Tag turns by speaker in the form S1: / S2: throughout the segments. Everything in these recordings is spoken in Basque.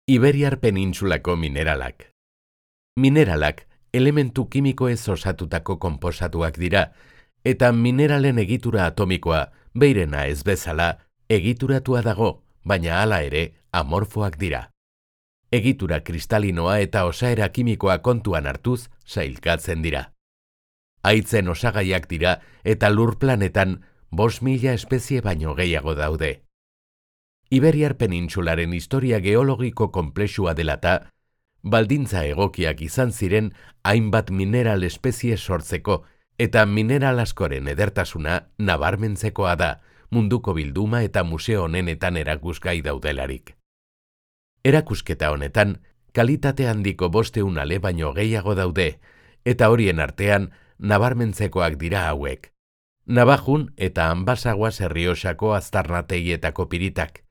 S1: Iberiar penintsulako mineralak. Mineralak elementu kimikoez osatutako konposatuak dira, eta mineralen egitura atomikoa, beirena ez bezala, egituratua dago, baina hala ere amorfoak dira. Egitura kristalinoa eta osaera kimikoa kontuan hartuz sailkatzen dira. Haitzen osagaiak dira eta lur planetan 5.000 espezie baino gehiago daude. Iberiar penintsularen historia geologiko konplexua dela eta, baldintza egokiak izan ziren hainbat mineral espezie sortzeko eta mineral askoren edertasuna nabarmentzekoa da, munduko bilduma eta museo honenetan erakusgai daudelarik. Erakusketa honetan, kalitate handiko 500 ale baino gehiago daude, eta horien artean nabarmentzekoak dira hauek. Navajun eta Anbasaguas Errioxako aztarnategietako piritak,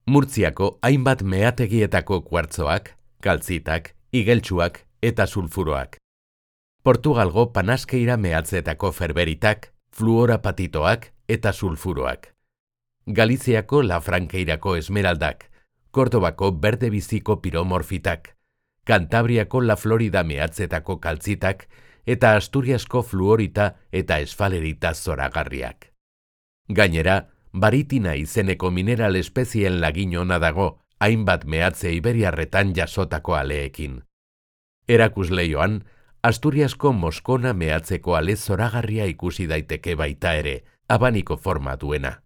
S1: Murtziako hainbat meategietako kuartzoak, kaltzitak, igeltsuak eta sulfuroak. Portugalgo Panaskeira mehatzetako ferberitak, fluorapatitoak eta sulfuroak. Galiziako Lafrankeirako esmeraldak, Kordobako berde biziko piromorfitak, Kantabriako La Florida mehatzetako kaltzitak eta Asturiasko fluorita eta esfalerita zoragarriak. Gainera, baritina izeneko mineral espezien lagin ona dago, hainbat mehatze iberiarretan jasotako aleekin. Erakusleioan, Asturiasko Moskona mehatzeko ale zoragarria ikusi daiteke baita ere, abaniko forma duena.